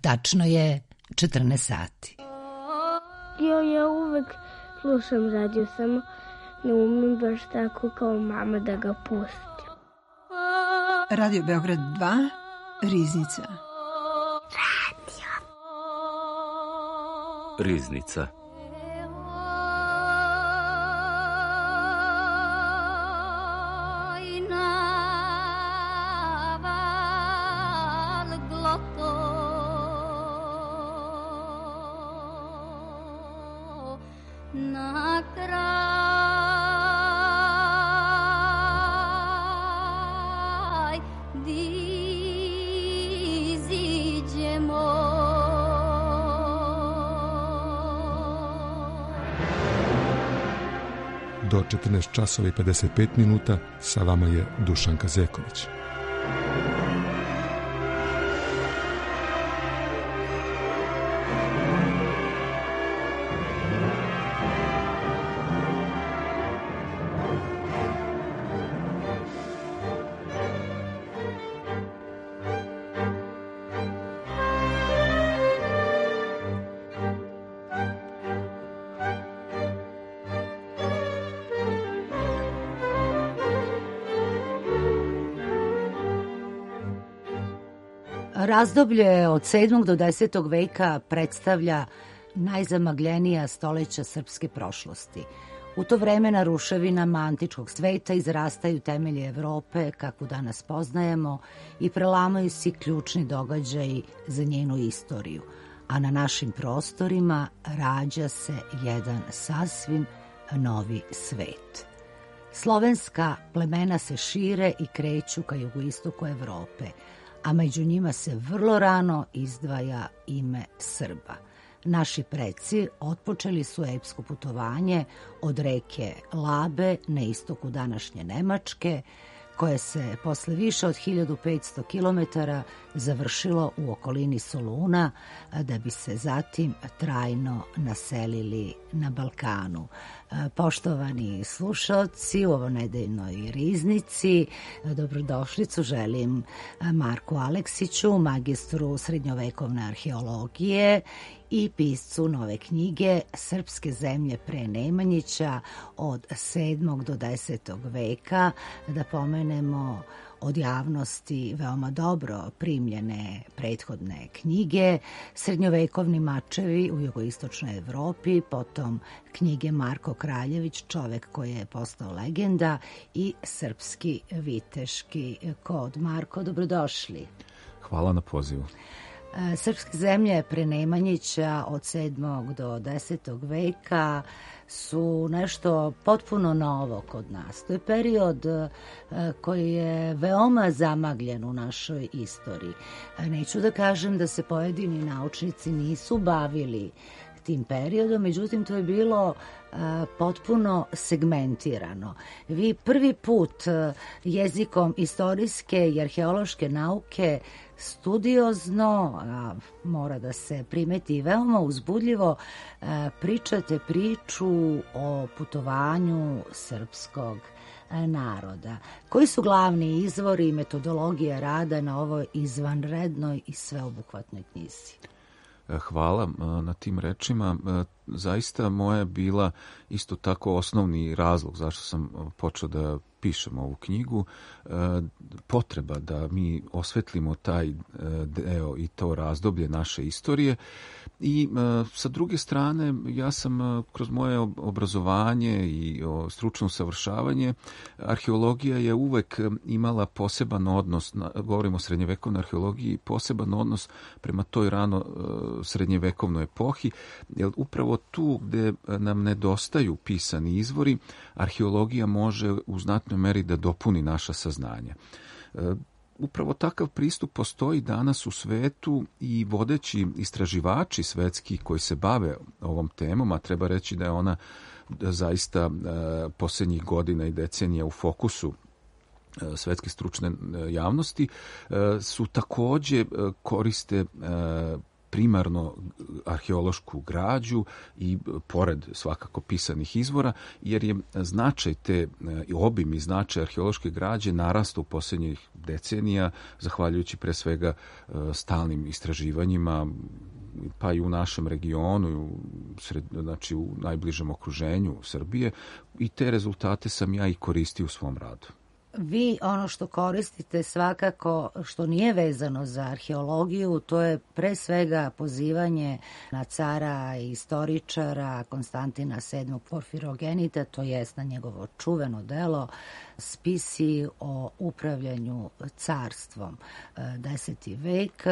Tačno je 14 sati. Ja uvek slušam radio, samo ne umem baš tako kao mama da ga pustim. Radio Beograd 2, Riznica. Riznica. Do 14 časova i 55 minuta sa vama je Dušan Kazeković. Razdoblje od 7. do 10. veka predstavlja najzamagljenija stoleća srpske prošlosti. U to vreme na ruševinama antičkog sveta izrastaju temelji Evrope, kako danas poznajemo, i prelamaju se ključni događaji za njenu istoriju. A na našim prostorima rađa se jedan sasvim novi svet. Slovenska plemena se šire i kreću ka jugoistoku Evrope, a među njima se vrlo rano izdvaja ime Srba. Naši preci otpočeli su epsko putovanje od reke Labe na istoku današnje Nemačke, koje se posle više od 1500 km završilo u okolini Soluna, da bi se zatim trajno naselili na Balkanu. Poštovani slušaoci, u ovonedeljnoj Riznici dobrodošlicu želim Marku Aleksiću, magistru srednjovekovne arheologije i piscu nove knjige Srpske zemlje pre Nemanjića od 7. do 10. veka, da pomenemo od javnosti veoma dobro primljene prethodne knjige, Srednjovekovni mačevi u jugoistočnoj Evropi, potom knjige Marko Kraljević, čovek koji je postao legenda, i Srpski viteški kod. Marko, dobrodošli. Hvala na pozivu. Srpske zemlje pre Nemanjića od 7. do 10. veka su nešto potpuno novo kod nas. To je period koji je veoma zamagljen u našoj istoriji. Neću da kažem da se pojedini naučnici nisu bavili tim periodom, međutim to je bilo potpuno segmentirano. Vi prvi put jezikom istorijske i arheološke nauke studiozno, mora da se primeti veoma uzbudljivo, pričate priču o putovanju srpskog naroda. Koji su glavni izvori i metodologija rada na ovoj izvanrednoj i sveobuhvatnoj knjizi? Hvala na tim rečima. Zaista moja je bila isto tako osnovni razlog zašto sam počeo da pišem ovu knjigu, potreba da mi osvetlimo taj deo i to razdoblje naše istorije. I sa druge strane, ja sam kroz moje obrazovanje i stručno usavršavanje, arheologija je uvek imala poseban odnos, govorimo o srednjevekovnoj arheologiji, poseban odnos prema toj rano srednjevekovnoj epohi, jer upravo tu gde nam nedostaju pisani izvori, arheologija može u znatnoj meri da dopuni naša saznanja. Upravo takav pristup postoji danas u svetu i vodeći istraživači svetski koji se bave ovom temom, a treba reći da je ona zaista posljednjih godina i decenija u fokusu svetske stručne javnosti, su takođe koriste primarno arheološku građu i pored svakako pisanih izvora, jer je značaj te obim i značaj arheološke građe narastao u posljednjih decenija, zahvaljujući pre svega stalnim istraživanjima, pa i u našem regionu, znači u najbližem okruženju Srbije, i te rezultate sam ja i koristio u svom radu. Vi ono što koristite svakako što nije vezano za arheologiju, to je pre svega pozivanje na cara i istoričara Konstantina VII Porfirogenita, to jest na njegovo čuveno delo Spisi o upravljanju carstvom, 10. vek.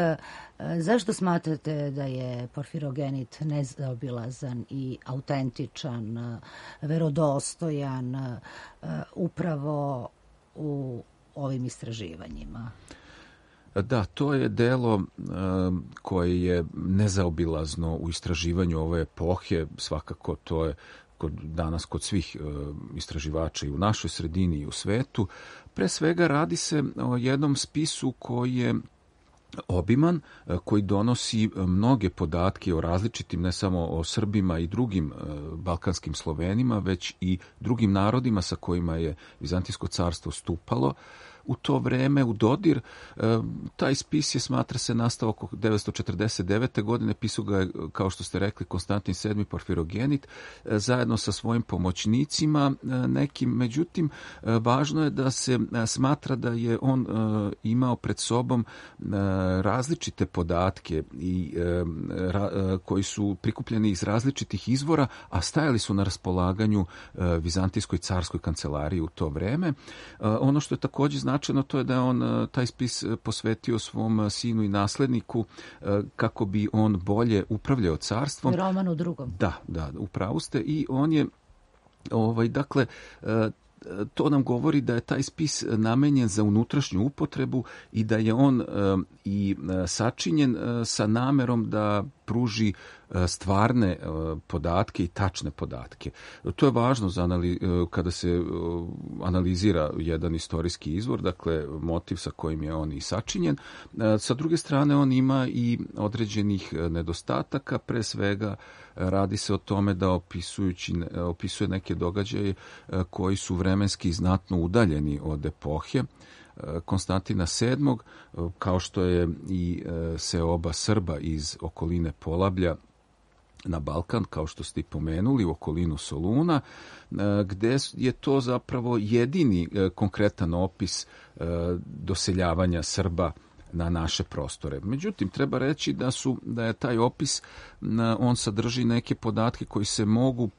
Zašto smatrate da je Porfirogenit nezaobilazan i autentičan, verodostojan upravo u ovim istraživanjima? Da, to je delo koje je nezaobilazno u istraživanju ove epohe, svakako to je danas kod svih istraživača i u našoj sredini i u svetu. Pre svega radi se o jednom spisu koji je obiman, koji donosi mnoge podatke o različitim, ne samo o Srbima i drugim balkanskim Slovenima, već i drugim narodima sa kojima je Vizantijsko carstvo stupalo u to vreme u dodir. Taj spis je, smatra se, nastao oko 949. godine, pisao ga je, kao što ste rekli, Konstantin VII Porfirogenit, zajedno sa svojim pomoćnicima nekim. Međutim, važno je da se smatra da je on imao pred sobom različite podatke koji su prikupljeni iz različitih izvora, a stajali su na raspolaganju Vizantijskoj carskoj kancelariji u to vreme. Ono što je također značajno, to je da je on taj spis posvetio svom sinu i nasledniku kako bi on bolje upravljao carstvom. Romanu II. Da, upravo ste. I on je, dakle, to nam govori da je taj spis namenjen za unutrašnju upotrebu i da je on i sačinjen sa namerom da pruži stvarne podatke i tačne podatke. To je važno kada se analizira jedan istorijski izvor, dakle motiv sa kojim je on i sačinjen. Sa druge strane, on ima i određenih nedostataka, pre svega radi se o tome da opisuje neke događaje koji su vremenski znatno udaljeni od epohe Konstantina VII, kao što je i seoba Srba iz okoline Polablja na Balkan, kao što ste i pomenuli, u okolinu Soluna, gde je to zapravo jedini konkretan opis doseljavanja Srba na naše prostore. Međutim, treba reći da je taj opis, on sadrži neke podatke koji se mogu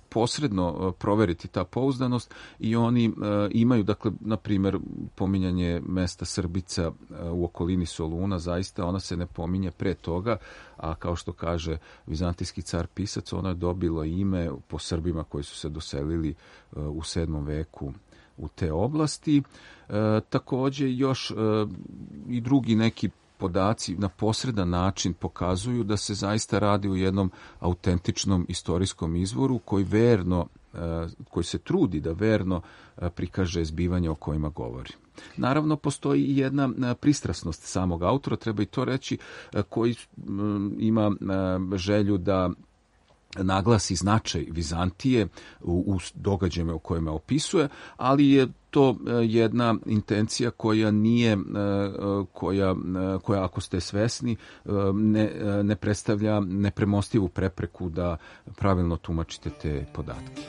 posredno proveriti, ta pouzdanost, i oni imaju, dakle, na primjer, pominjanje mesta Srbica u okolini Soluna, zaista ona se ne pominje pre toga, a kao što kaže vizantijski car pisac, ono je dobilo ime po Srbima koji su se doselili u 7. veku u te oblasti. Također još i drugi neki podaci na posredan način pokazuju da se zaista radi o jednom autentičnom istorijskom izvoru koji se trudi da verno prikaže zbivanja o kojima govori. Naravno, postoji i jedna pristrasnost samog autora, treba i to reći, koji ima želju da naglasi značaj Vizantije u događajima u kojima opisuje, ali je to jedna intencija koja nije, koja ako ste svesni, ne predstavlja nepremostivu prepreku da pravilno tumačite te podatke.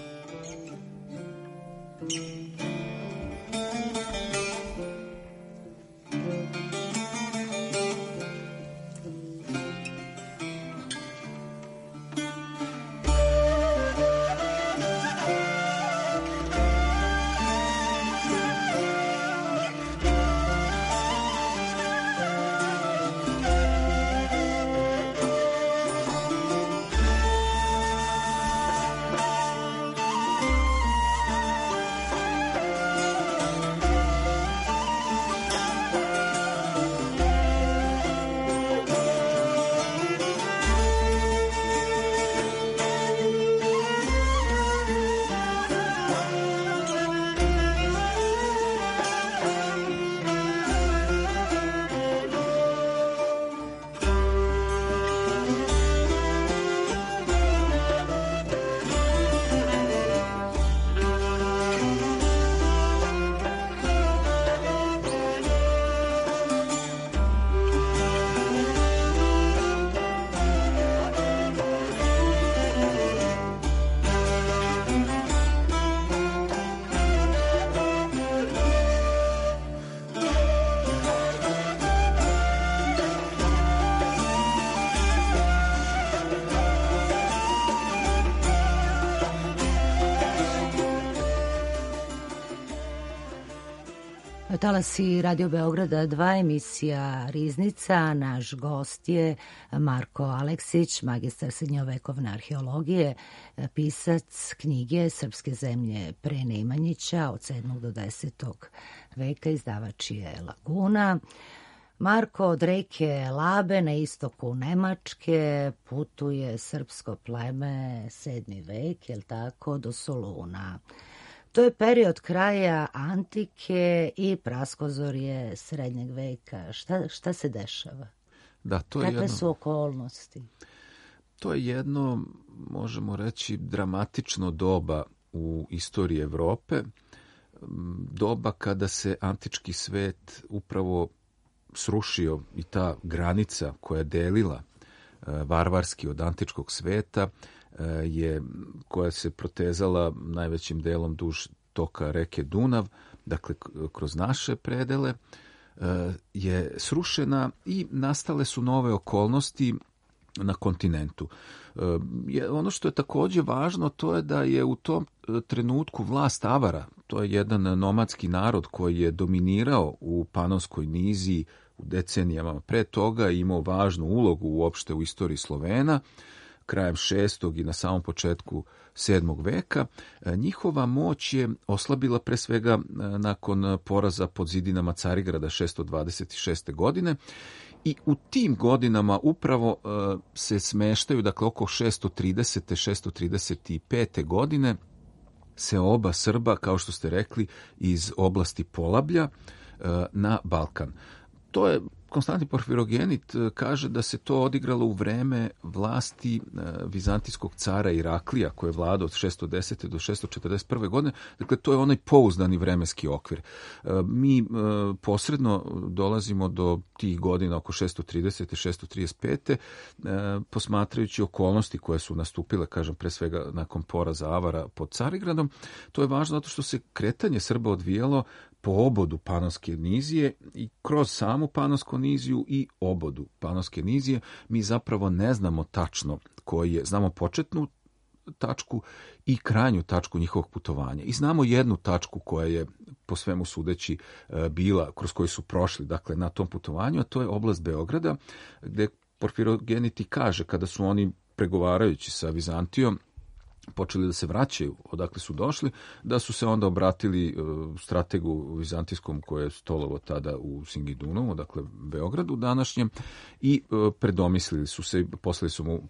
Talasi Radio Beograda 2, emisija Riznica. Naš gost je Marko Aleksić, magistar srednjovekovne arheologije, pisac knjige Srpske zemlje pre Nemanjića od 7. do 10. veka, izdavač je Laguna. Marko, od reke Labe na istoku Nemačke putuje srpsko pleme 7. vek, je li tako, do Soluna. To je period kraja antike i praskozorje srednjeg veka. Šta se dešava? Da, Kakve su okolnosti? To je jedno, možemo reći, dramatično doba u istoriji Evrope. Doba kada se antički svet upravo srušio i ta granica koja je delila varvarski od antičkog sveta, koja se protezala najvećim delom duž toka reke Dunav, dakle kroz naše predele, je srušena i nastale su nove okolnosti na kontinentu. Ono što je također važno, to je da je u tom trenutku vlast Avara, to je jedan nomadski narod koji je dominirao u Panonskoj niziji u decenijama pre toga, imao važnu ulogu uopšte u istoriji Slovena, krajem 6. i na samom početku 7. veka. Njihova moć je oslabila pre svega nakon poraza pod zidinama Carigrada 626. godine i u tim godinama upravo se smeštaju, dakle oko 630. 635. godine se oba Srba, kao što ste rekli, iz oblasti Polablja na Balkan. To je Konstantin Porfirogenit kaže da se to odigralo u vreme vlasti vizantijskog cara Iraklija, koji je vladao od 610. do 641. godine. Dakle, to je onaj pouzdani vremenski okvir. Mi posredno dolazimo do tih godina oko 630. 635. Posmatrajući okolnosti koje su nastupile, kažem, pre svega nakon poraza Avara pod Carigradom. To je važno zato što se kretanje Srba odvijalo po obodu Panonske nizije i kroz samu Panonsku niziju i obodu Panonske nizije mi zapravo ne znamo tačno koji je, znamo početnu tačku i krajnju tačku njihovog putovanja. I znamo jednu tačku koja je po svemu sudeći bila, kroz koju su prošli, dakle na tom putovanju, a to je oblast Beograda, gde Porfirogeniti kaže kada su oni pregovarajući sa Vizantijom počeli da se vraćaju odakle su došli, da su se onda obratili strategu vizantijskom koje je stolovo tada u Singidunovu, dakle Beogradu današnjem, i predomislili su se, poslali su mu,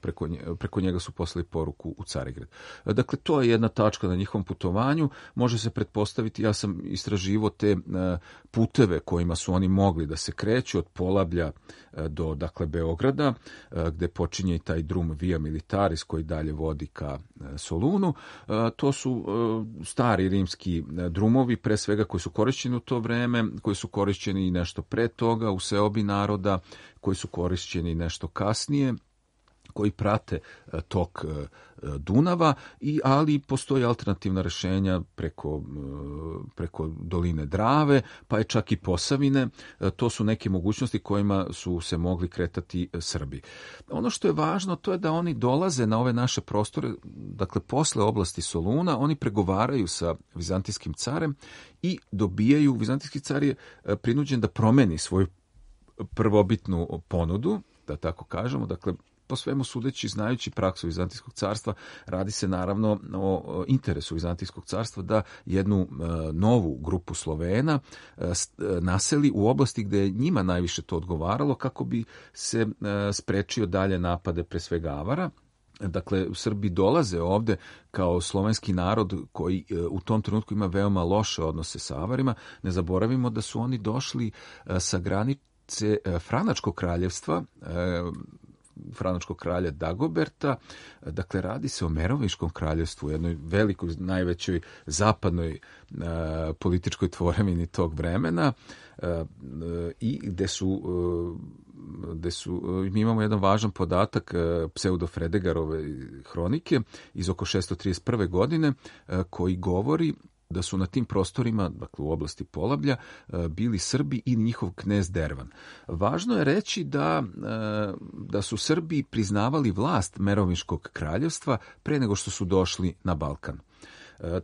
preko njega su poslali poruku u Carigrad. Dakle, to je jedna tačka na njihovom putovanju. Može se pretpostaviti, ja sam istraživo te puteve kojima su oni mogli da se kreću od Polablja do, dakle, Beograda, gde počinje i taj drum Via Militaris koji dalje vodi ka Solunu. To su stari rimski drumovi, pre svega koji su korišćeni u to vreme, koji su korišćeni i nešto pre toga u seobi naroda, koji su korišćeni nešto kasnije, koji prate tok Dunava, ali postoji alternativna rešenja preko doline Drave, pa je čak i Posavine. To su neke mogućnosti kojima su se mogli kretati Srbi. Ono što je važno, to je da oni dolaze na ove naše prostore, dakle posle oblasti Soluna, oni pregovaraju sa vizantijskim carem i dobijaju, vizantijski car je prinuđen da promeni svoju prvobitnu ponudu, da tako kažemo, dakle po svemu sudeći, znajući praksu Vizantijskog carstva, radi se naravno o interesu Vizantijskog carstva da jednu novu grupu Slovena naseli u oblasti gde je njima najviše to odgovaralo kako bi se sprečio dalje napade pre svega Avara. Dakle, Srbi dolaze ovde kao slovenski narod koji u tom trenutku ima veoma loše odnose sa Avarima. Ne zaboravimo da su oni došli sa granice Franačkog kraljevstva, Franačkog kralja Dagoberta, dakle radi se o Merovinškom kraljevstvu, jednoj velikoj, najvećoj zapadnoj političkoj tvorevini tog vremena i gde su, mi imamo jedan važan podatak pseudo Fredegarove hronike iz oko 631. godine koji govori da su na tim prostorima, dakle u oblasti Polablja, bili Srbi i njihov knez Dervan. Važno je reći da su Srbi priznavali vlast Merovinškog kraljevstva pre nego što su došli na Balkan.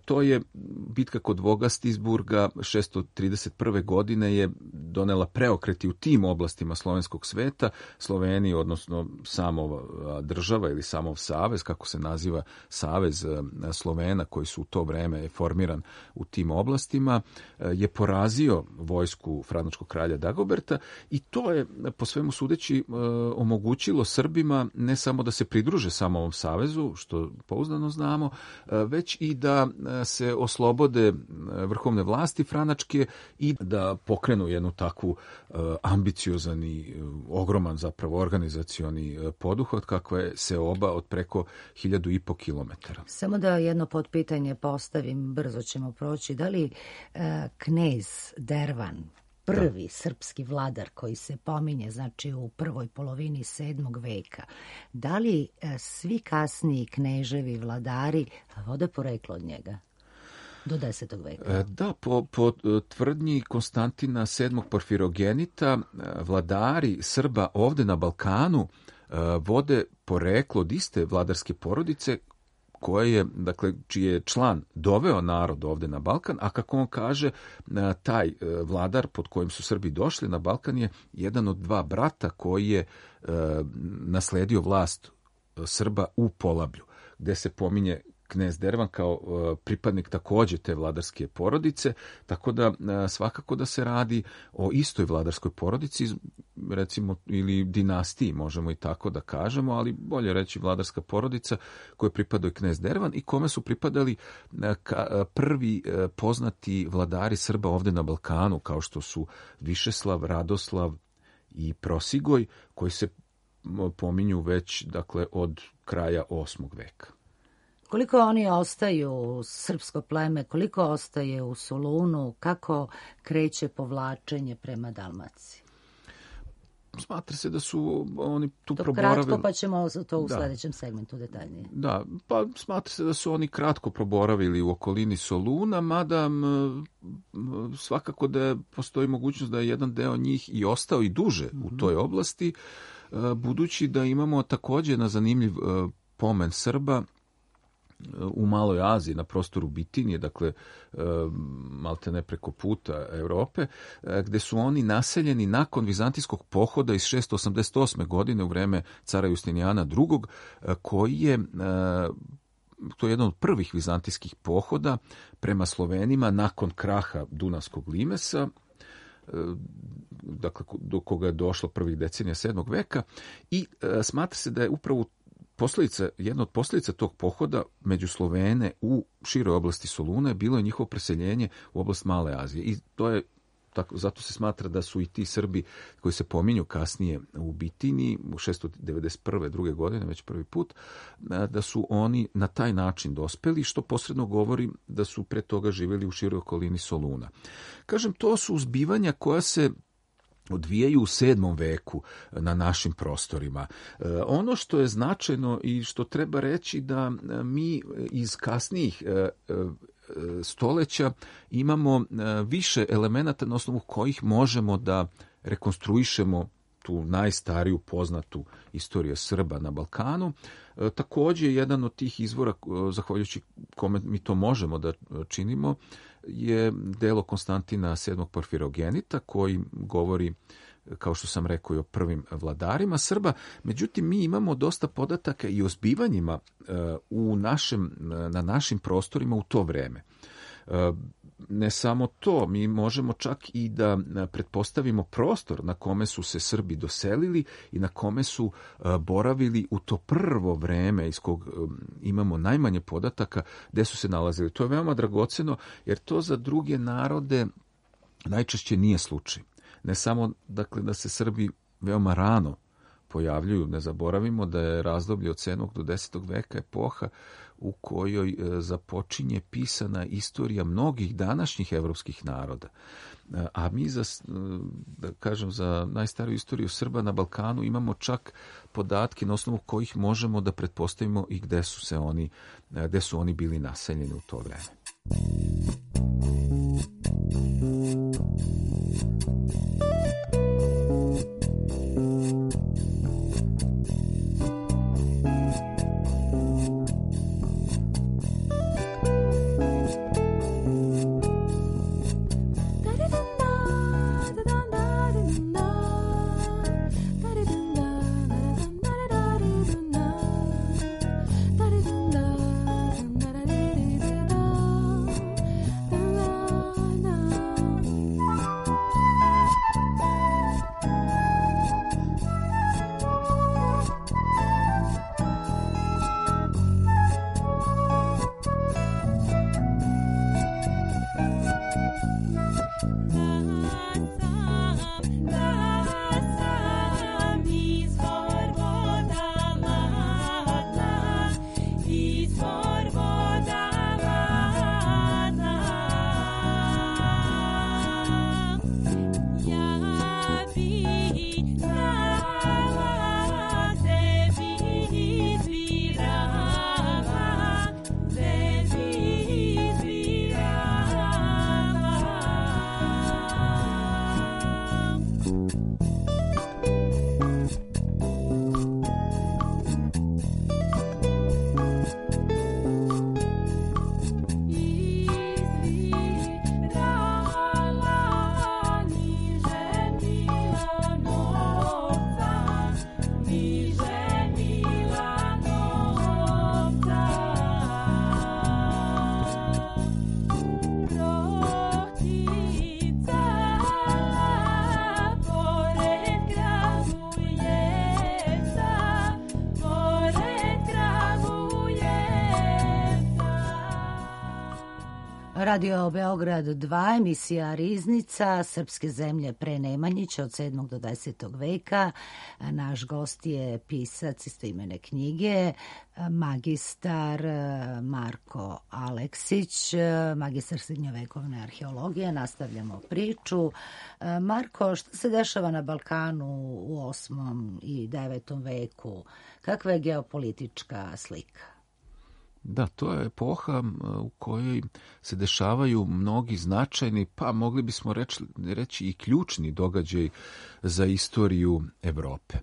To je bitka kod Vogastisburga 631. godine je donela preokreti u tim oblastima slovenskog sveta. Sloveniji, odnosno samova država ili samov savez, kako se naziva savez Slovena koji su u to vreme formiran u tim oblastima, je porazio vojsku franačkog kralja Dagoberta i to je po svemu sudeći omogućilo Srbima ne samo da se pridruže samovom savezu, što pouzdano znamo, već i da se oslobode vrhovne vlasti franačke i da pokrenu jednu takvu ambiciozan i ogroman zapravo organizacioni poduhvat kakva je Seoba od preko 1500 kilometara. Samo da jedno potpitanje postavim, brzo ćemo proći. Da li knez Dervan, prvi srpski vladar koji se pominje, znači u prvoj polovini 7. veka, da li svi kasniji kneževi vladari vode poreklo od njega? Do 10. veka. Da, po tvrdnji Konstantina VII. Porfirogenita, vladari Srba ovde na Balkanu vode poreklo od iste vladarske porodice koje je, dakle, čiji je član doveo narod ovde na Balkan, a kako on kaže, taj vladar pod kojim su Srbi došli na Balkan je jedan od dva brata koji je nasledio vlast Srba u Polablju, gde se pominje knez Dervan kao pripadnik takođe te vladarske porodice, tako da svakako da se radi o istoj vladarskoj porodici, recimo, ili dinastiji, možemo i tako da kažemo, ali bolje reći vladarska porodica kojoj pripadao je knez Dervan i kome su pripadali prvi poznati vladari Srba ovde na Balkanu, kao što su Višeslav, Radoslav i Prosigoj, koji se pominju već, dakle, od kraja 8. veka. Koliko oni ostaju srpsko pleme, koliko ostaje u Solunu, kako kreće povlačenje prema Dalmaciji? Smatra se da su oni tu to proboravili... Kratko, pa ćemo to u sledećem segmentu detaljnije. Da, pa smatra se da su oni kratko proboravili u okolini Soluna, mada svakako da postoji mogućnost da je jedan deo njih i ostao i duže u toj oblasti, budući da imamo takođe na zanimljiv pomen Srba u Maloj Aziji, na prostoru Bitinije, dakle, maltene preko puta Evrope, gde su oni naseljeni nakon vizantijskog pohoda iz 688. godine u vreme cara Justinijana II. Koji je, to je jedan od prvih vizantijskih pohoda prema Slovenima nakon kraha Dunavskog limesa, dakle, do koga je došlo prvih decenija 7. veka i smatra se da je upravo jedna od posljedica tog pohoda među Slovene u široj oblasti Soluna bilo je njihovo preseljenje u oblast Male Azije. I to je tako, zato se smatra da su i ti Srbi koji se pominju kasnije u Bitini u 691. druge godine, već prvi put, da su oni na taj način dospeli, što posredno govori da su pre toga živjeli u široj okolini Soluna. Kažem, to su zbivanja koja se odvijaju u 7. veku na našim prostorima. Ono što je značajno i što treba reći da mi iz kasnijih stoleća imamo više elemenata na osnovu kojih možemo da rekonstruišemo tu najstariju poznatu istoriju Srba na Balkanu. Takođe, jedan od tih izvora, zahvaljujući kome mi to možemo da činimo, je delo Konstantina VII. Porfirogenita, koji govori, kao što sam rekao, i o prvim vladarima Srba. Međutim, mi imamo dosta podataka i o zbivanjima na našim prostorima u to vreme. Ne samo to, mi možemo čak i da pretpostavimo prostor na kome su se Srbi doselili i na kome su boravili u to prvo vreme iz kog imamo najmanje podataka gde su se nalazili. To je veoma dragoceno jer to za druge narode najčešće nije slučaj. Ne samo, dakle, da se Srbi veoma rano pojavljuju, ne zaboravimo da je razdoblje od 7. do 10. veka epoha u kojoj započinje pisana istorija mnogih današnjih evropskih naroda. A mi za najstariju istoriju Srba na Balkanu imamo čak podatke na osnovu kojih možemo da pretpostavimo i gde su oni bili naseljeni u to vreme. Radio Beograd 2, emisija Riznica, srpske zemlje pre Nemanjića od 7. do 10. veka. Naš gost je pisac istoimene knjige, magistar Marko Aleksić, magistar srednjovekovne arheologije. Nastavljamo priču. Marko, šta se dešava na Balkanu u 8. i 9. veku? Kakva je geopolitička slika? Da, to je epoha u kojoj se dešavaju mnogi značajni, pa mogli bismo reći i ključni događaj za istoriju Evrope.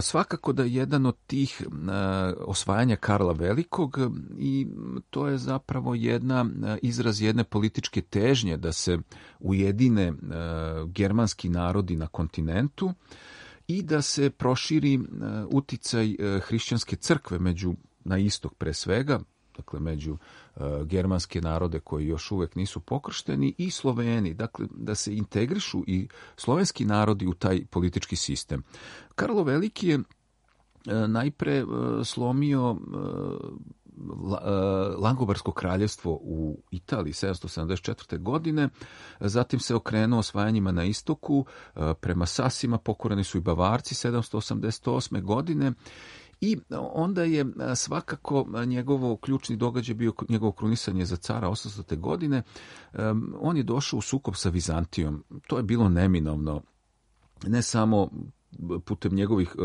Svakako da je jedan od tih osvajanja Karla Velikog i to je zapravo izraz jedne političke težnje da se ujedine germanski narodi na kontinentu i da se proširi uticaj hrišćanske crkve na istok pre svega, dakle među germanske narode koji još uvek nisu pokršteni i Sloveni, dakle da se integrišu i slovenski narodi u taj politički sistem. Karlo Veliki je najpre slomio Langobarsko kraljevstvo u Italiji 774. godine, zatim se okrenuo osvajanjima na istoku, prema Sasima pokoreni su i Bavarci 788. godine. I onda je svakako njegovo ključni događaj bio njegovo krunisanje za cara 800. godine. On je došao u sukob sa Vizantijom. To je bilo neminovno, ne samo putem njegovih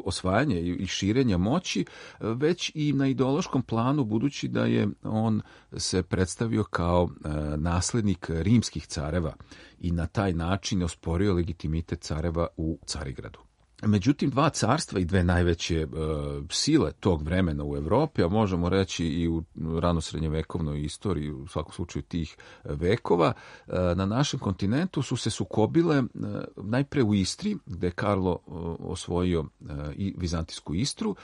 osvajanja i širenja moći, već i na ideološkom planu, budući da je on se predstavio kao naslednik rimskih careva i na taj način osporio legitimitet careva u Carigradu. Međutim, dva carstva i dve najveće sile tog vremena u Evropi, a možemo reći i u ranosrednjevekovnoj istoriji, u svakom slučaju tih vekova, na našem kontinentu su se sukobile najpre u Istri, gde je Karlo osvojio i vizantijsku Istru,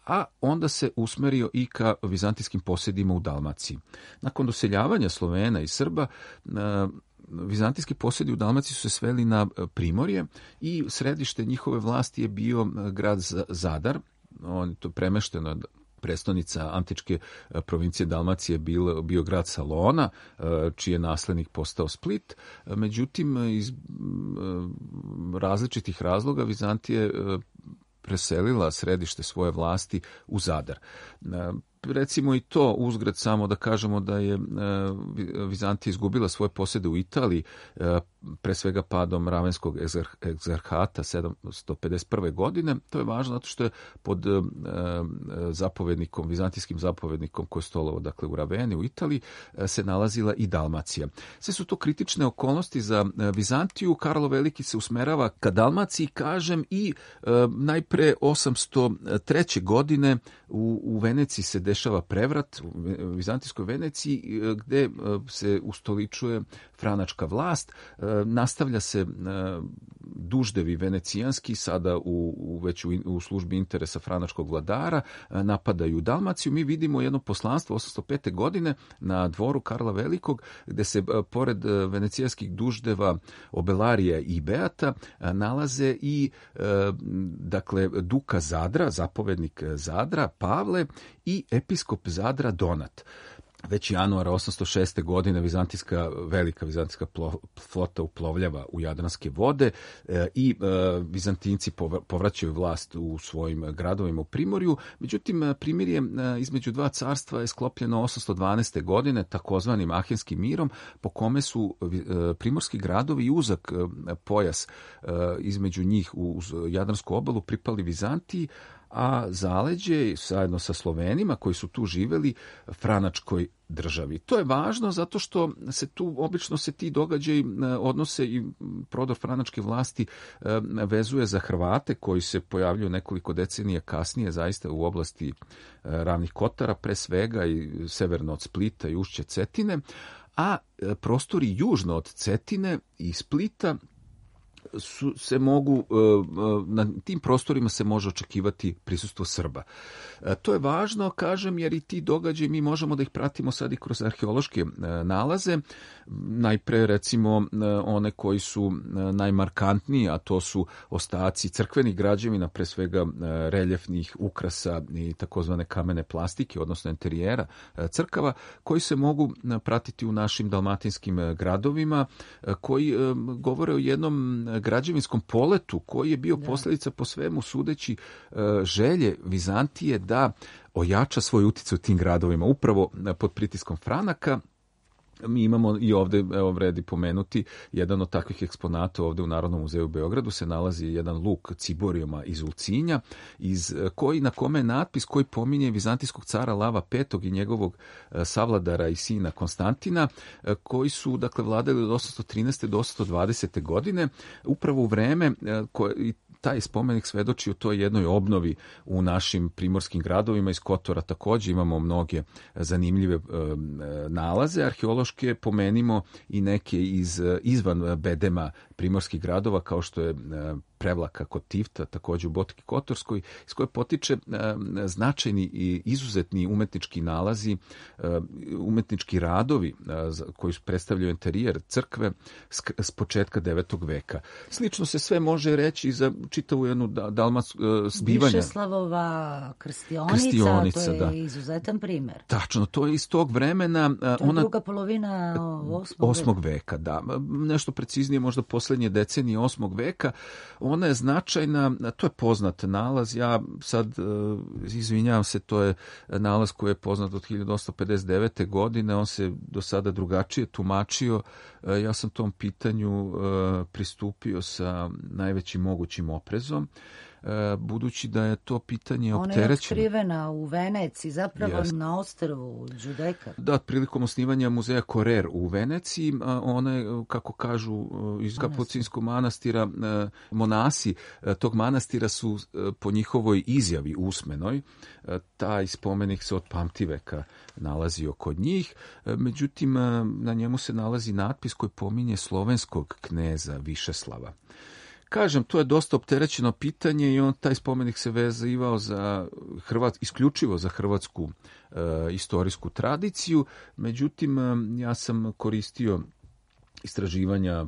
a onda se usmerio i ka vizantijskim posjedima u Dalmaciji. Nakon doseljavanja Slovena i Srba, vizantijski posjedi u Dalmaciji su se sveli na Primorje i središte njihove vlasti je bio grad Zadar. On je to premešteno, prestonica antičke provincije Dalmacije bio grad Salona, čiji je naslednik postao Split. Međutim, iz različitih razloga Vizantija je preselila središte svoje vlasti u Zadar. Recimo i to uzgred samo da kažemo da je Vizantija izgubila svoje posjede u Italiji, pre svega padom Ravenskog egzarhata 751. godine. To je važno zato što je pod vizantijskim zapovednikom koji je stolovao dakle u Raveni u Italiji se nalazila i Dalmacija. Sve su to kritične okolnosti za Vizantiju. Karlo Veliki se usmerava ka Dalmaciji, kažem, i najpre 803. godine u Veneciji se dešava prevrat, u vizantijskoj Veneciji, gde se ustoličuje franačka vlast. Nastavlja se duždevi venecijanski, sada već u službi interesa franačkog vladara, napadaju Dalmaciju. Mi vidimo jedno poslanstvo 805. godine na dvoru Karla Velikog, gde se pored venecijanskih duždeva Obelarija i Beata nalaze i dakle Duka Zadra, zapovednik Zadra Pavle i episkop Zadra Donat. Već januara 806. godine velika vizantijska flota uplovljava u Jadranske vode i Vizantinci povraćaju vlast u svojim gradovima u Primorju. Međutim, primirje između dva carstva je sklopljeno 812. godine takozvanim Ahenskim mirom, po kome su primorski gradovi i uzak pojas između njih uz Jadransku obalu pripali Vizantiji, a zaleđe zajedno sa Slovenima koji su tu živeli franačkoj državi. To je važno zato što obično se ti događaji odnose i prodor franačke vlasti vezuje za Hrvate koji se pojavljuju nekoliko decenija kasnije zaista u oblasti Ravnih Kotara pre svega i severno od Splita i ušće Cetine, a prostori južno od Cetine i Splita se mogu, na tim prostorima se može očekivati prisustvo Srba. To je važno, kažem, jer i ti događaji mi možemo da ih pratimo sad i kroz arheološke nalaze. Najpre, recimo, one koji su najmarkantniji, a to su ostaci crkvenih građevina, pre svega reljefnih ukrasa i takozvane kamene plastike, odnosno interijera crkava, koji se mogu pratiti u našim dalmatinskim gradovima, koji govore o jednom građevinskom poletu koji je bio posljedica po svemu sudeći želje Vizantije da ojača svoj utjecaj u tim gradovima, upravo pod pritiskom Franaka. Mi imamo i ovde, evo vredi pomenuti, jedan od takvih eksponata ovde u Narodnom muzeju u Beogradu se nalazi jedan luk ciborijuma iz Ulcinja, na kome je natpis koji pominje vizantijskog cara Lava V i njegovog savladara i sina Konstantina, koji su, dakle, vladali od 813. do 820. godine, upravo u vreme taj spomenik svedoči o toj jednoj obnovi u našim primorskim gradovima. Iz Kotora također imamo mnoge zanimljive nalaze arheološke, pomenimo i neke izvan bedema primorskih gradova, kao što je Prevlaka kod Tifta, također u Botki Kotorskoj, iz koje potiče značajni i izuzetni umetnički nalazi, umetnički radovi koji predstavljaju interijer crkve s početka 9. veka. Slično se sve može reći i za čitavu jednu dalmatsku zbivanja. Višeslavova krstionica, to je izuzetan primjer. Tačno, to je iz tog vremena. To je druga polovina 8. veka, da. Nešto preciznije, možda posljednje decenije 8. veka. Ona je značajna, to je poznat nalaz, ja sad izvinjavam se, to je nalaz koji je poznat od 1859. godine, on se do sada drugačije tumačio, ja sam tom pitanju pristupio sa najvećim mogućim oprezom, budući da je to pitanje opterećeno. Ona je otkrivena u Veneciji, zapravo na ostrvu Đudeka. Da, prilikom osnivanja muzeja Korer u Veneciji, ona je, kako kažu iz Kapucinskog manastira, monasi tog manastira su po njihovoj izjavi usmenoj, taj spomenik se od pamtiveka nalazio kod njih, međutim na njemu se nalazi natpis koji pominje slovenskog kneza Višeslava. Kažem, to je dosta opterećeno pitanje i taj spomenik se vezivao isključivo za hrvatsku istorijsku tradiciju, međutim ja sam koristio istraživanja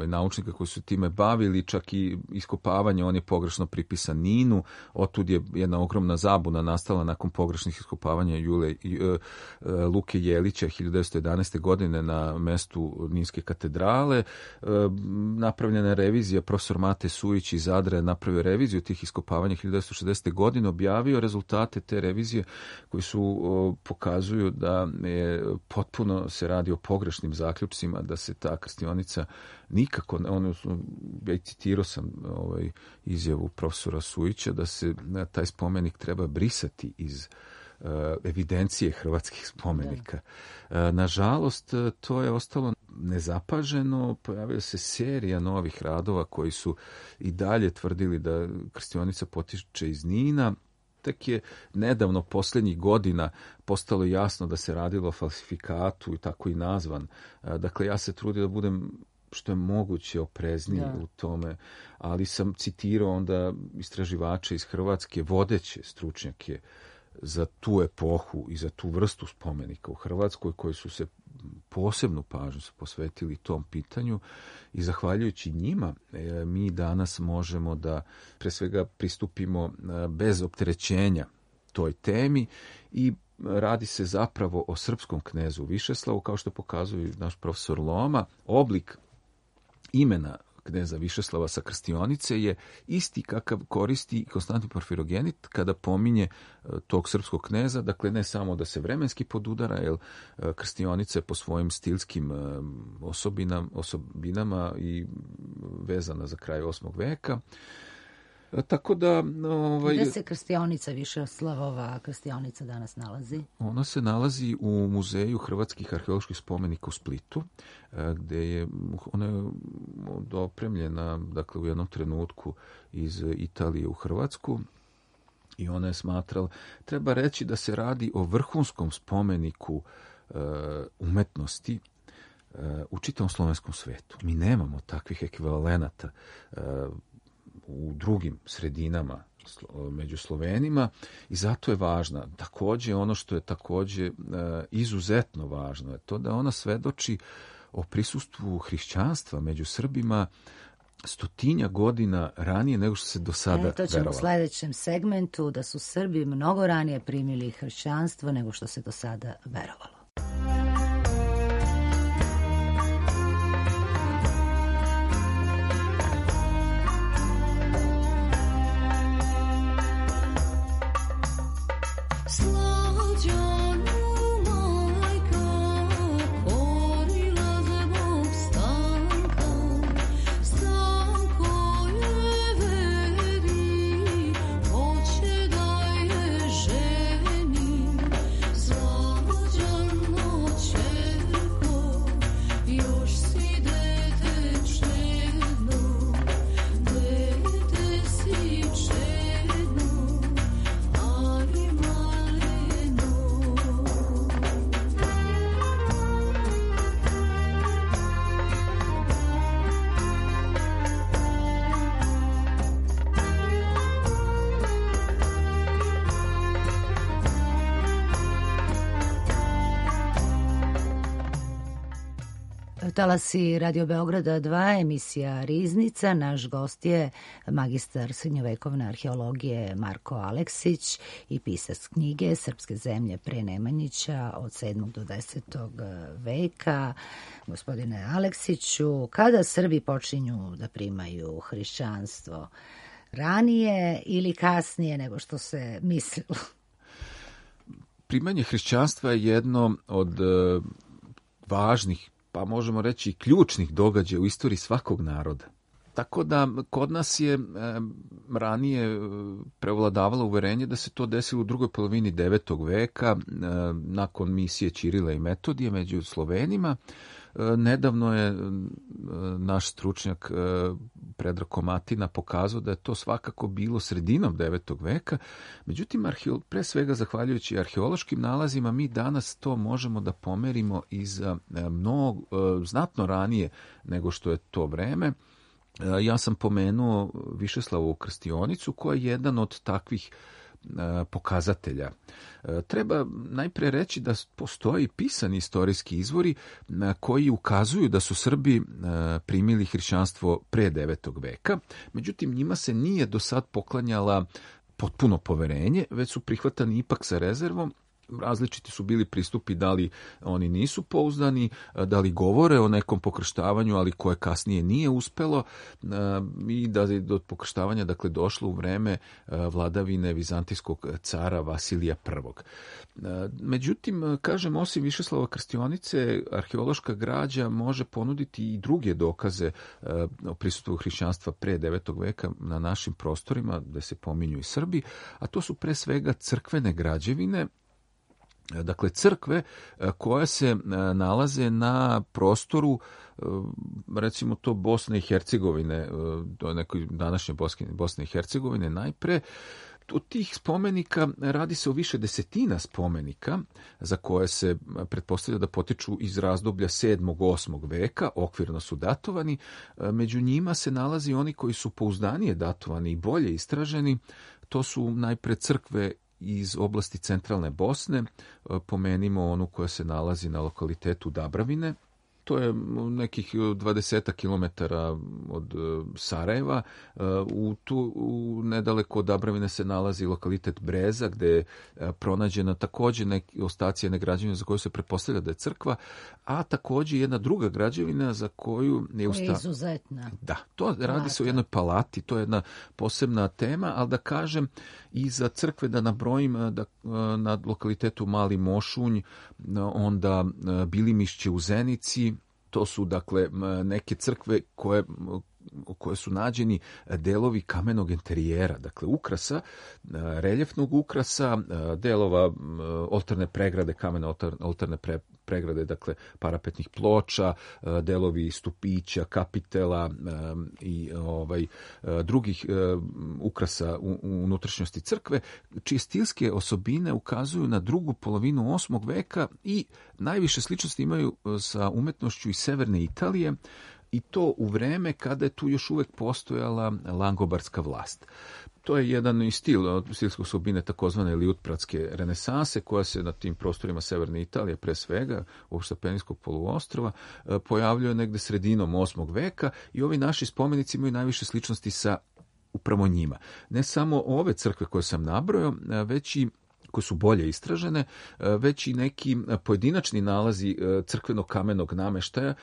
naučnika koji su time bavili, čak i iskopavanje, on je pogrešno pripisan Ninu, otud je jedna ogromna zabuna nastala nakon pogrešnih iskopavanja Luke Jelića 1911. godine na mestu Ninske katedrale. Napravljena je revizija, profesor Mate Sujić iz Zadra je napravio reviziju tih iskopavanja 1960. godine, objavio rezultate te revizije koji su pokazuju da je potpuno se radi o pogrešnim zaključcima, da se ta krstionica nikako, ja citirao sam izjavu profesora Sujića da se taj spomenik treba brisati iz evidencije hrvatskih spomenika. Nažalost, to je ostalo nezapaženo, pojavila se serija novih radova koji su i dalje tvrdili da krstionica potiče iz Nina. Tek je nedavno, posljednjih godina, postalo jasno da se radilo o falsifikatu i tako i nazvan. Dakle, ja se trudim da budem što je moguće oprezniji u tome, ali sam citirao onda istraživače iz Hrvatske, vodeće stručnjake za tu epohu i za tu vrstu spomenika u Hrvatskoj, koji su se posebnu pažnju posvetili tom pitanju i zahvaljujući njima mi danas možemo da pre svega pristupimo bez opterećenja toj temi i radi se zapravo o srpskom knezu Višeslavu, kao što pokazuje naš profesor Loma. Oblik imena kneza Višeslava sa krstionice je isti kakav koristi Konstantin Porfirogenit kada pominje tog srpskog kneza, dakle ne samo da se vremenski podudara, jer krstionica je po svojim stilskim osobinama i vezana za kraj 8. veka. Tako da... Gde se krstionica Višeslavova krstionica danas nalazi? Ona se nalazi u Muzeju hrvatskih arheoloških spomenika u Splitu, gde ona je dopremljena, dakle, u jednom trenutku iz Italije u Hrvatsku i ona je smatrala, treba reći da se radi o vrhunskom spomeniku umetnosti, u čitavom slovenskom svetu. Mi nemamo takvih ekvivalenata u drugim sredinama među Slovenima i zato je važna. Takođe, ono što je takođe izuzetno važno je to da ona svedoči o prisustvu hrišćanstva među Srbima 100 godina ranije nego što se do sada verovalo. To ćemo u sledećem segmentu, da su Srbi mnogo ranije primili hrišćanstvo nego što se do sada verovalo. Talasi Radio Beograda 2, emisija Riznica. Naš gost je magistar srednjovekovne arheologije Marko Aleksić i pisac knjige Srpske zemlje pre Nemanjića od 7. do 10. veka. Gospodine Aleksiću, kada Srbi počinju da primaju hrišćanstvo? Ranije ili kasnije nego što se mislilo? Primanje hrišćanstva je jedno od važnih, pa možemo reći i ključnih događaja u istoriji svakog naroda. Tako da kod nas je ranije prevladavalo uverenje da se to desilo u drugoj polovini 9. veka, nakon misije Ćirila i Metodije među Slovenima. Nedavno je naš stručnjak Predrag Komatina pokazao da je to svakako bilo sredinom 9. veka. Međutim, pre svega zahvaljujući arheološkim nalazima, mi danas to možemo da pomerimo i za znatno ranije nego što je to vreme. Ja sam pomenuo Višeslavovu krstionicu koja je jedan od takvih pokazatelja. Treba najpre reći da postoji pisani istorijski izvori koji ukazuju da su Srbi primili hrišćanstvo pre 9. veka, međutim njima se nije do sad poklanjala potpuno poverenje, već su prihvatani ipak sa rezervom. Različiti su bili pristupi, da li oni nisu pouzdani, da li govore o nekom pokrštavanju, ali koje kasnije nije uspelo i da je do pokrštavanja došlo u vreme vladavine vizantijskog cara Vasilija I. Međutim, kažem, osim Višeslava krstionice, arheološka građa može ponuditi i druge dokaze o prisustvu hrišćanstva pre 9. veka na našim prostorima, gde se pominju i Srbi, a to su pre svega crkvene građevine. Dakle, crkve koje se nalaze na prostoru, recimo to Bosne i Hercegovine, do nekoj današnje Bosne i Hercegovine najpre. Od tih spomenika radi se o više desetina spomenika za koje se pretpostavlja da potiču iz razdoblja 7. 8. veka, okvirno su datovani. Među njima se nalazi oni koji su pouzdanije datovani i bolje istraženi. To su najpre crkve iz oblasti centralne Bosne, pomenimo onu koja se nalazi na lokalitetu Dabravine. To je nekih 20 kilometara od Sarajeva. Nedaleko od Dabravine se nalazi lokalitet Breza, gde je pronađena takođe ostaci jedne građevine za koju se pretpostavlja da je crkva, a takođe jedna druga građevina za koju je izuzetna. Da, to radi se o jednoj palati, to je jedna posebna tema, ali da kažem i za crkve da nabrojim na lokalitetu Mali Mošunj, onda Bilimišće u Zenici. To su, dakle, neke crkve koje su nađeni delovi kamenog interijera, dakle ukrasa, reljefnog ukrasa, delova oltarne pregrade, kamene oltarne pregrade, dakle parapetnih ploča, delovi stupića, kapitela i drugih ukrasa u unutrašnjosti crkve, čije stilske osobine ukazuju na drugu polovinu 8. veka i najviše sličnosti imaju sa umetnošću iz severne Italije, i to u vreme kada je tu još uvek postojala langobardska vlast. To je jedan i stilske osobine takozvane liutpratske renesanse, koja se na tim prostorima severne Italije, pre svega ovog Sapenijskog poluostrova, pojavljuje negde sredinom 8. veka i ovi naši spomenici imaju najviše sličnosti sa upravo njima. Ne samo ove crkve koje sam nabrojao, već i koje su bolje istražene, već i neki pojedinačni nalazi crkvenog kamenog nameštaja.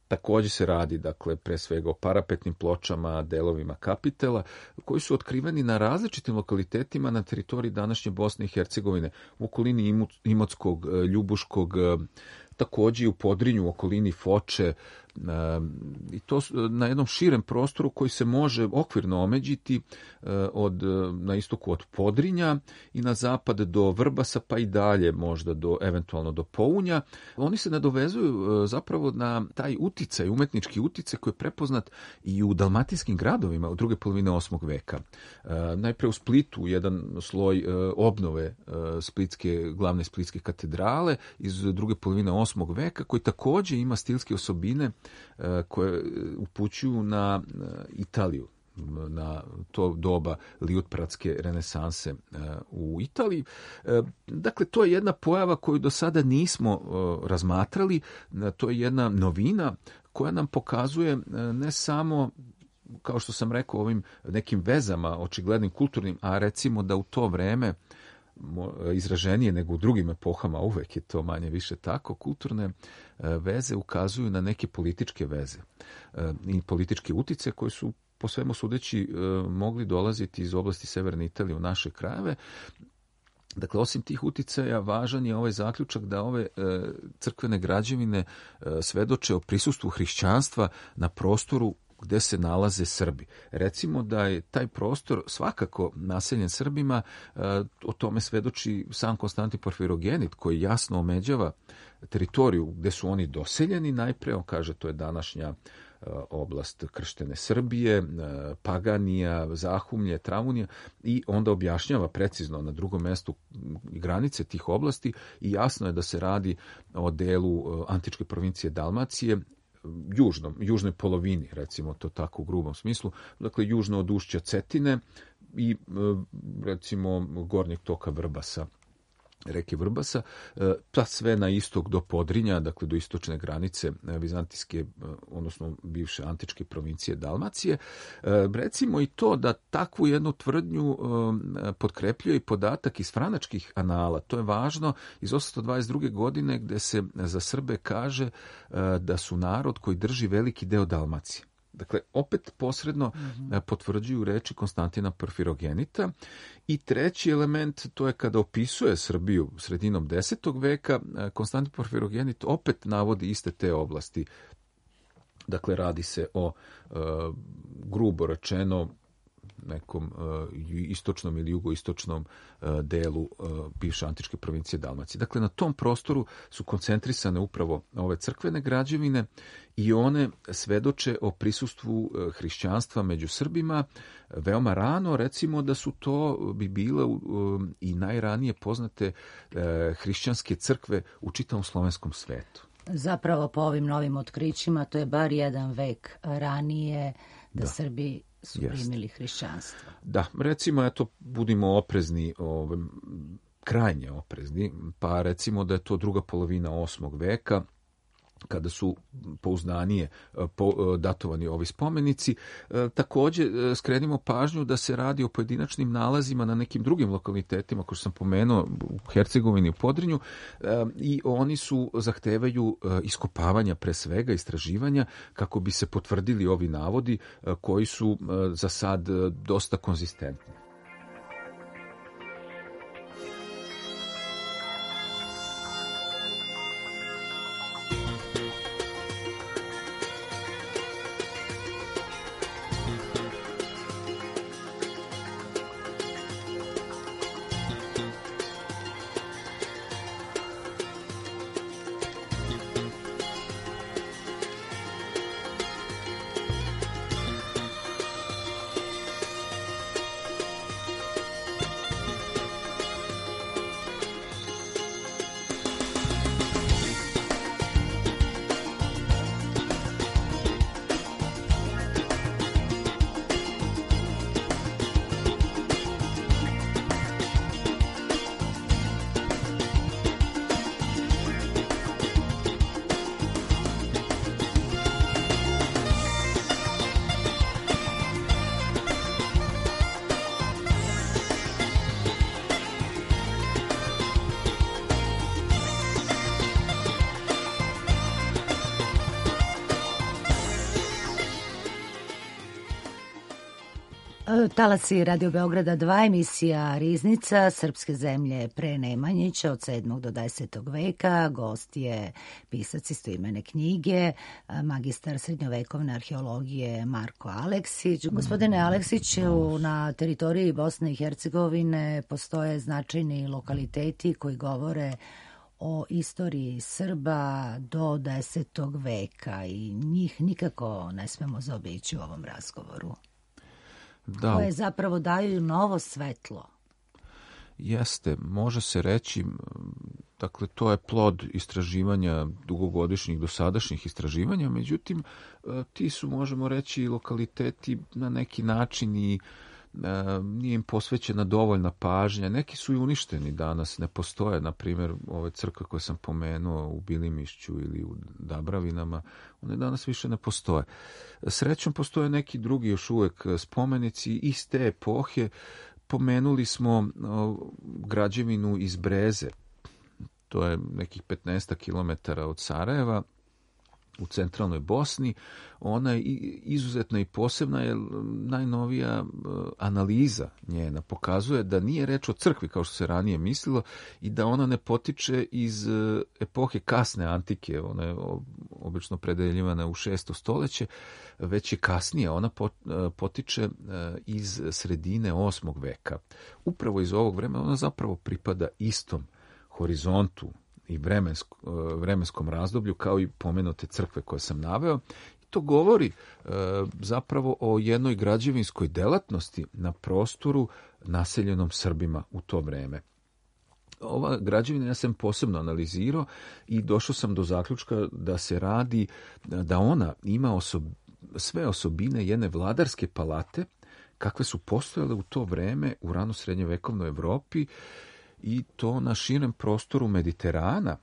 Također se radi, dakle, pre svega o parapetnim pločama, delovima kapitela, koji su otkriveni na različitim lokalitetima na teritoriji današnje Bosne i Hercegovine, u okolini Imotskog, Ljubuškog, također i u Podrinju, u okolini Foče, i to na jednom širem prostoru koji se može okvirno omeđiti na istoku od Podrinja i na zapad do Vrbasa, pa i dalje možda eventualno do Pounja. Oni se nadovezuju zapravo na taj uticaj, umetnički uticaj koji je prepoznat i u dalmatinskim gradovima u druge polovine 8. veka. Najpre u Splitu jedan sloj obnove glavne splitske katedrale iz druge polovine 8. veka, koji također ima stilske osobine koje upućuju na Italiju, na to doba liutpratske renesanse u Italiji. Dakle, to je jedna pojava koju do sada nismo razmatrali, to je jedna novina koja nam pokazuje ne samo, kao što sam rekao, ovim nekim vezama, očiglednim kulturnim, a recimo da u to vreme izraženije nego u drugim epohama, uvek je to manje više tako, kulturne veze ukazuju na neke političke veze i političke utice koje su po svemu sudeći mogli dolaziti iz oblasti severne Italije u naše krajeve. Dakle, osim tih uticaja, važan je ovaj zaključak da ove crkvene građevine svedoče o prisustvu hrišćanstva na prostoru gde se nalaze Srbi. Recimo da je taj prostor svakako naseljen Srbima, o tome svedoči sam Konstantin Porfirogenit, koji jasno omeđava teritoriju gde su oni doseljeni. Najpre on kaže to je današnja oblast krštene Srbije, Paganija, Zahumlje, Travunija, i onda objašnjava precizno na drugom mestu granice tih oblasti i jasno je da se radi o delu antičke provincije Dalmacije, južnoj polovini, recimo to tako u grubom smislu, dakle južno od ušća Cetine i recimo gornjeg toka Vrbasa, reke Vrbasa, pa sve na istok do Podrinja, dakle do istočne granice vizantijske, odnosno bivše antičke provincije Dalmacije. Recimo i to da takvu jednu tvrdnju potkrepljuje i podatak iz franačkih anala. To je važno iz 822. godine, gde se za Srbe kaže da su narod koji drži veliki deo Dalmacije. Dakle, opet posredno potvrđuju reči Konstantina Porfirogenita. I treći element, to je kada opisuje Srbiju sredinom 10. veka, Konstantin Porfirogenit opet navodi iste te oblasti. Dakle, radi se o, grubo rečeno, nekom istočnom ili jugoistočnom delu bivše antičke provincije Dalmacije. Dakle, na tom prostoru su koncentrisane upravo ove crkvene građevine i one svedoče o prisustvu hrišćanstva među Srbima veoma rano. Recimo da su to bi bile i najranije poznate hrišćanske crkve u čitavom slovenskom svetu. Zapravo po ovim novim otkrićima to je bar jedan vek ranije da Srbi su primili hrišćanstvo. Da, recimo, eto, budimo oprezni, krajnje oprezni, pa recimo da je to druga polovina 8. veka, kada su pouzdanije datovani ovi spomenici. Također skrenimo pažnju da se radi o pojedinačnim nalazima na nekim drugim lokalitetima, kao što sam pomenuo, u Hercegovini, u Podrinju, i oni zahtevaju iskopavanja, pre svega istraživanja, kako bi se potvrdili ovi navodi koji su za sad dosta konzistentni. Talasi Radio Beograda 2, emisija Riznica, srpske zemlje pre Nemanjića od 7. do 10. veka. Gost je pisac istoimene knjige, magistar srednjovekovne arheologije Marko Aleksić. Gospodine Aleksiću, na teritoriji Bosne i Hercegovine postoje značajni lokaliteti koji govore o istoriji Srba do 10. veka i njih nikako ne smemo zaobići u ovom razgovoru. Da, koje zapravo daju novo svetlo. Jeste, može se reći, dakle to je plod istraživanja, dugogodišnjih dosadašnjih istraživanja, međutim ti su, možemo reći, lokaliteti na neki način i nije im posvećena dovoljna pažnja. Neki su i uništeni danas, ne postoje. Na primjer, ove crkve koje sam pomenuo u Bilimišću ili u Dabravinama, one danas više ne postoje. Srećom, postoje neki drugi još uvek spomenici iz te epohe. Pomenuli smo građevinu iz Breze, to je nekih 15 kilometara od Sarajeva, u centralnoj Bosni. Ona je izuzetna i posebna, jer najnovija analiza njena pokazuje da nije reč o crkvi kao što se ranije mislilo i da ona ne potiče iz epohe kasne antike, ona je obično predeljivana u 6. stoljeće, već je kasnije, ona potiče iz sredine 8. veka. Upravo iz ovog vremena ona zapravo pripada istom horizontu i vremenskom razdoblju kao i pomenute crkve koje sam naveo. I to govori zapravo o jednoj građevinskoj delatnosti na prostoru naseljenom Srbima u to vreme. Ova građevina ja sam posebno analizirao i došao sam do zaključka da se radi, da ona ima sve osobine jedne vladarske palate kakve su postojale u to vreme u rano srednjevekovnoj Evropi, i to na širem prostoru Mediterana,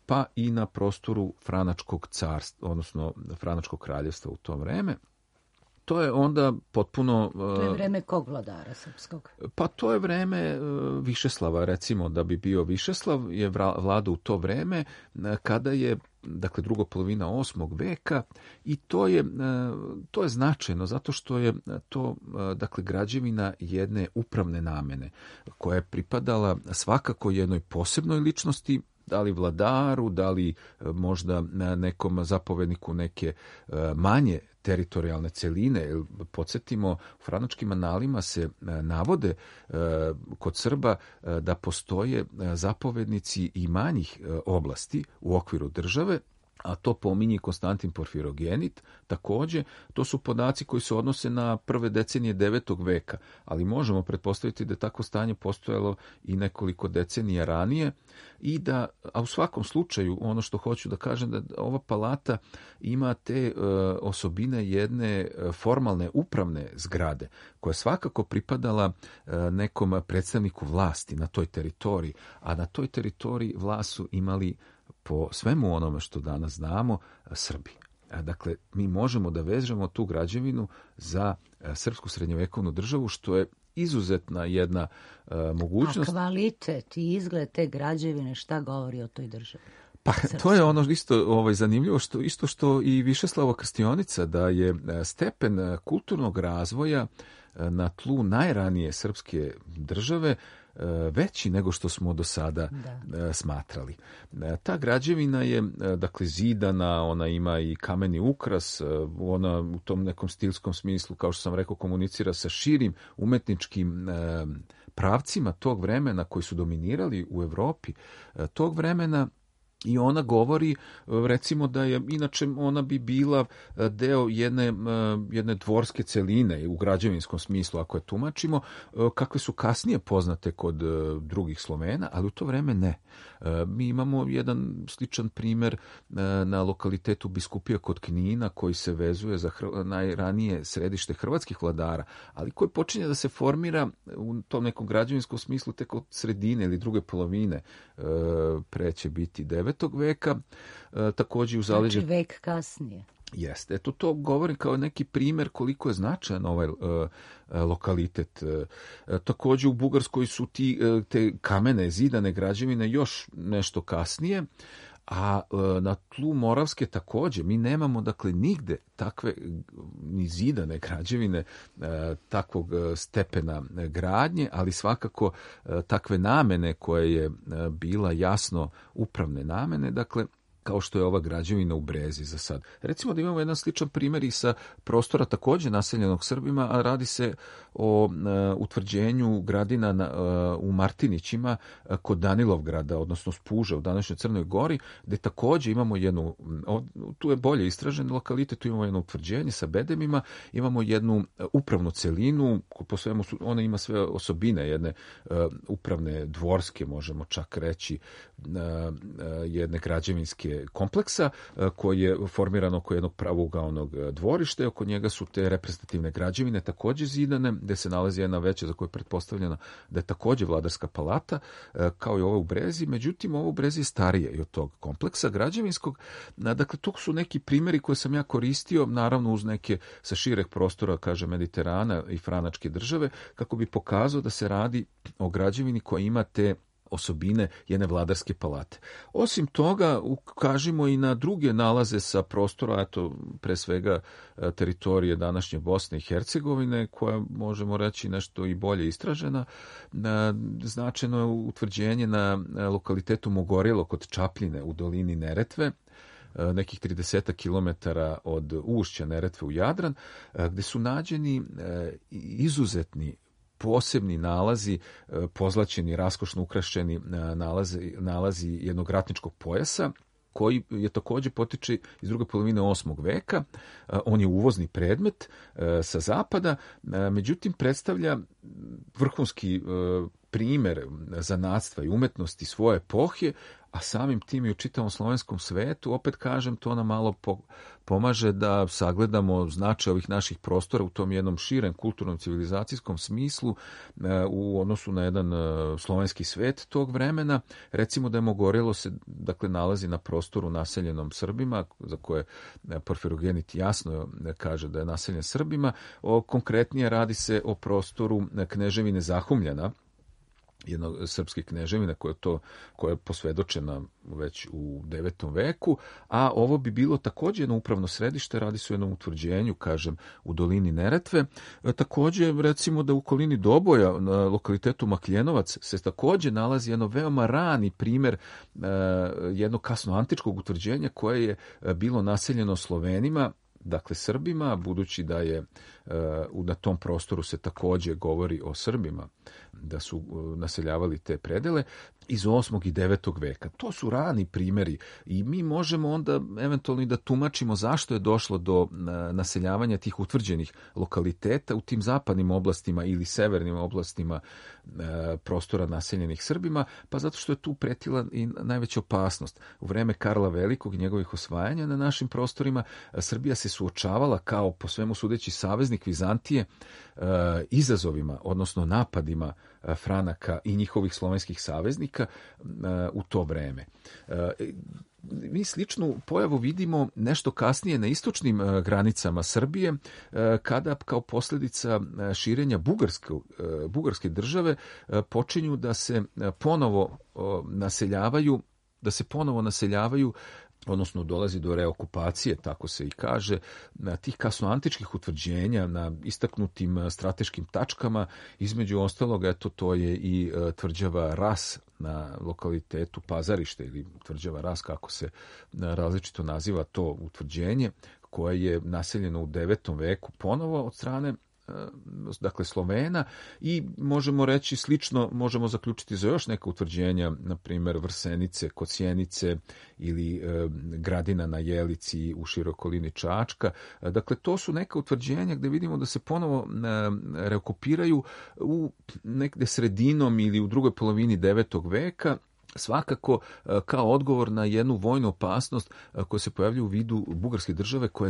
pa i na prostoru Franačkog carstva, odnosno Franačkog kraljevstva u to vreme. To je onda potpuno... To je vreme kog vladara srpskog? Pa to je vreme Višeslava, recimo da bi bio Višeslav, je vladao u to vreme kada je, dakle, druga polovina 8. veka, i to je značajno zato što je to, dakle, građevina jedne upravne namene koja je pripadala svakako jednoj posebnoj ličnosti, da li vladaru, da li možda nekom zapovedniku neke manje teritorijalne celine. Podsjetimo, u franačkim analima se navode kod Srba da postoje zapovednici i manjih oblasti u okviru države, a to pominje Konstantin Porfirogenit. Takođe, to su podaci koji se odnose na prve decenije 9. veka, ali možemo pretpostaviti da je takvo stanje postojalo i nekoliko decenija ranije, i da, a u svakom slučaju, ono što hoću da kažem, da ova palata ima te osobine jedne formalne upravne zgrade, koja je svakako pripadala nekom predstavniku vlasti na toj teritoriji, a na toj teritoriji vlast su imali, po svemu onome što danas znamo, Srbi. Dakle, mi možemo da vežemo tu građevinu za srpsku srednjovekovnu državu, što je izuzetna jedna mogućnost. A kvalitet i izgled te građevine, šta govori o toj državi? Pa to je ono isto zanimljivo, isto što i Višeslavo Krstionica, da je stepen kulturnog razvoja na tlu najranije srpske države veći nego što smo do sada smatrali. Ta građevina je, dakle, zidana, ona ima i kameni ukras, ona u tom nekom stilskom smislu, kao što sam rekao, komunicira sa širim umetničkim pravcima tog vremena koji su dominirali u Evropi tog vremena. I ona govori, recimo, da je, inače ona bi bila deo jedne dvorske celine u građevinskom smislu, ako je tumačimo, kakve su kasnije poznate kod drugih Slovena, ali u to vreme ne. Mi imamo jedan sličan primer na lokalitetu Biskupija kod Knina, koji se vezuje za najranije središte hrvatskih vladara, ali koji počinje da se formira u tom nekom građevinskom smislu tek od sredine ili druge polovine, pre će biti 9. veka, takođe u zaleđe... Znači vek kasnije. Jeste. Eto, to govorim kao neki primer koliko je značajan ovaj lokalitet. Takođe u Bugarskoj su te kamene zidane građevine još nešto kasnije, a na tlu Moravske takođe mi nemamo dakle nigde takve ni zidane građevine takvog stepena gradnje, ali svakako takve namene koje je bila jasno upravne namene, dakle kao što je ova građevina u Brezi za sad. Recimo da imamo jedan sličan primjer i sa prostora takođe naseljenog Srbima, a radi se o utvrđenju gradina u Martinićima kod Danilovgrada, odnosno Spuža u današnjoj Crnoj Gori, gde takođe imamo jednu, tu je bolje istražen lokalitet, tu imamo jedno utvrđenje sa bedemima, imamo jednu upravnu celinu, po svemu ona ima sve osobine jedne upravne dvorske, možemo čak reći, jedne građevinske kompleksa koji je formiran oko jednog pravougaonog dvorišta i oko njega su te reprezentativne građevine takođe zidane, gde se nalazi jedna veća za koju je pretpostavljena da je takođe vladarska palata, kao i ova u Brezi. Međutim, ovo u Brezi je starije i od tog kompleksa građevinskog. Dakle, to su neki primjeri koje sam ja koristio, naravno uz neke sa šireg prostora, kaže Mediterana i Franačke države, kako bi pokazao da se radi o građevini koja ima te osobine jedne vladarske palate. Osim toga, ukažimo i na druge nalaze sa prostora, eto, pre svega teritorije današnje Bosne i Hercegovine, koja možemo reći nešto i bolje istražena. Značajno je utvrđenje na lokalitetu Mogorelo kod Čapljine u dolini Neretve, nekih 30 kilometara od ušća Neretve u Jadran, gde su nađeni izuzetni posebni nalazi, pozlaćeni, raskošno ukrašeni nalazi jednog ratničkog pojasa, koji je takođe potiče iz druge polovine 8. veka. On je uvozni predmet sa zapada, međutim predstavlja vrhunski primer zanatstva i umetnosti svoje epohe, a samim tim i u čitavom slovenskom svetu. Opet kažem, to nam malo pomaže da sagledamo značaj ovih naših prostora u tom jednom širem kulturnom civilizacijskom smislu u odnosu na jedan slovenski svet tog vremena. Recimo da je Mogorelo se dakle nalazi na prostoru naseljenom Srbima, za koje Porfirogenit jasno kaže da je naseljen Srbima. Konkretnije radi se o prostoru kneževine Zahumljana, jednog srpske kneževine koja je posvedočena već u 9. veku, a ovo bi bilo takođe jedno upravno središte, radi se o jednom utvrđenju, kažem, u dolini Neretve. Takođe, recimo da u okolini Doboja, na lokalitetu Makljenovac, se takođe nalazi jedno veoma rani primer jednog kasno antičkog utvrđenja koje je bilo naseljeno Slovenima, dakle Srbima, budući da je na tom prostoru se takođe govori o Srbima, da su naseljavali te predele iz 8. i 9. veka. To su rani primjeri i mi možemo onda eventualno i da tumačimo zašto je došlo do naseljavanja tih utvrđenih lokaliteta u tim zapadnim oblastima ili severnim oblastima prostora naseljenih Srbima, pa zato što je tu pretila i najveća opasnost. U vreme Karla Velikog i njegovih osvajanja na našim prostorima Srbija se suočavala kao po svemu sudeći saveznik Vizantije izazovima, odnosno napadima Franaka i njihovih slovenskih saveznika u to vreme. Mi sličnu pojavu vidimo nešto kasnije na istočnim granicama Srbije, kada kao posljedica širenja bugarske države počinju da se ponovo naseljavaju, odnosno dolazi do reokupacije, tako se i kaže, tih kasnoantičkih utvrđenja na istaknutim strateškim tačkama. Između ostalog, eto, to je i tvrđava Ras na lokalitetu Pazarište, ili tvrđava Ras, kako se različito naziva to utvrđenje, koje je naseljeno u 9. veku ponovo od strane dakle Slovena, i možemo reći slično, možemo zaključiti za još neka utvrđenja, na primjer Vrsenice kod Sjenice ili Gradina na Jelici u široj okolini Čačka. Dakle, to su neka utvrđenja gdje vidimo da se ponovo reokupiraju u negde sredinom ili u drugoj polovini 9. veka, svakako kao odgovor na jednu vojnu opasnost koja se pojavlja u vidu bugarske države, koja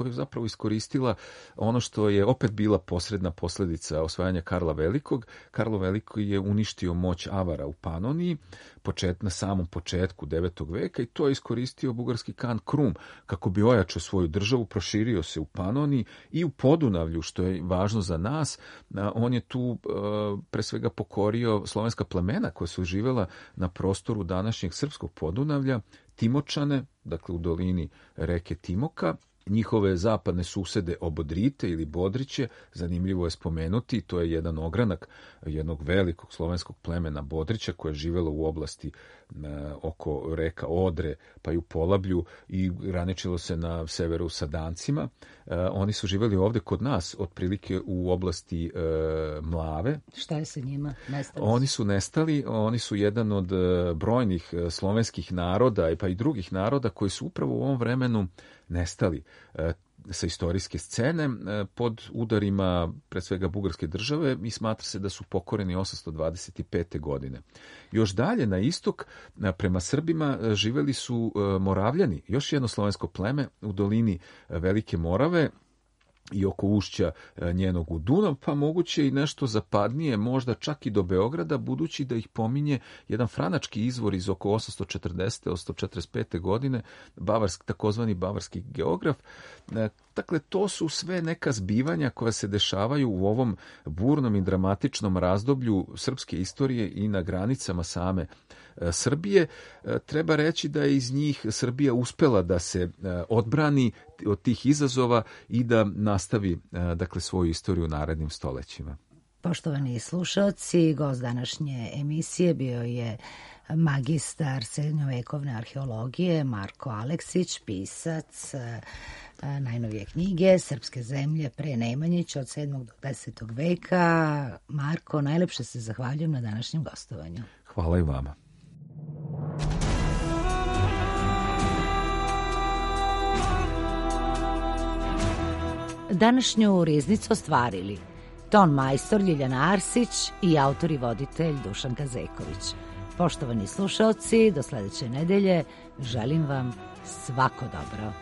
je zapravo iskoristila ono što je opet bila posredna posljedica osvajanja Karla Velikog. Karlo Veliko je uništio moć Avara u Panoniji, na samom početku 9. veka i to je iskoristio bugarski kan Krum kako bi ojačao svoju državu, proširio se u Panoniji i u Podunavlju, što je važno za nas. On je tu pre svega pokorio slovenska plemena koja su živela na prostoru današnjeg srpskog Podunavlja, Timočane, dakle u dolini reke Timoka, njihove zapadne susede Obodrite ili Bodriće, zanimljivo je spomenuti, to je jedan ogranak jednog velikog slovenskog plemena Bodrića koje je živelo u oblasti oko reka Odre, pa i u Polablju i graničilo se na severu sa Dancima. Oni su živeli ovde kod nas, otprilike u oblasti Mlave. Šta je sa njima? Nestali? Oni su nestali, oni su jedan od brojnih slovenskih naroda pa i drugih naroda koji su upravo u ovom vremenu nestali sa istorijske scene pod udarima pre svega bugarske države i smatra se da su pokoreni 825. godine. Još dalje na istok prema Srbima živeli su Moravljani, još jedno slovensko pleme u dolini Velike Morave i oko ušća njenog u Dunav, pa moguće i nešto zapadnije, možda čak i do Beograda, budući da ih pominje jedan franački izvor iz oko 840. 845. godine, takozvani bavarski geograf. Dakle, to su sve neka zbivanja koja se dešavaju u ovom burnom i dramatičnom razdoblju srpske istorije i na granicama same Srbije. Treba reći da je iz njih Srbija uspela da se odbrani od tih izazova i da nastavi dakle svoju istoriju u narednim stolećima. Poštovani slušalci, gost današnje emisije bio je magistar srednjovekovne arheologije Marko Aleksić, pisac najnovije knjige Srpske zemlje pre Nemanjića od 7. do 10. veka. Marko, najlepše se zahvaljujem na današnjem gostovanju. Hvala i vama. Današnju riznicu ostvarili ton majstor Ljiljana Arsić i autor i voditelj Dušan Kazeković. Poštovani slušalci, do sledeće nedelje želim vam svako dobro.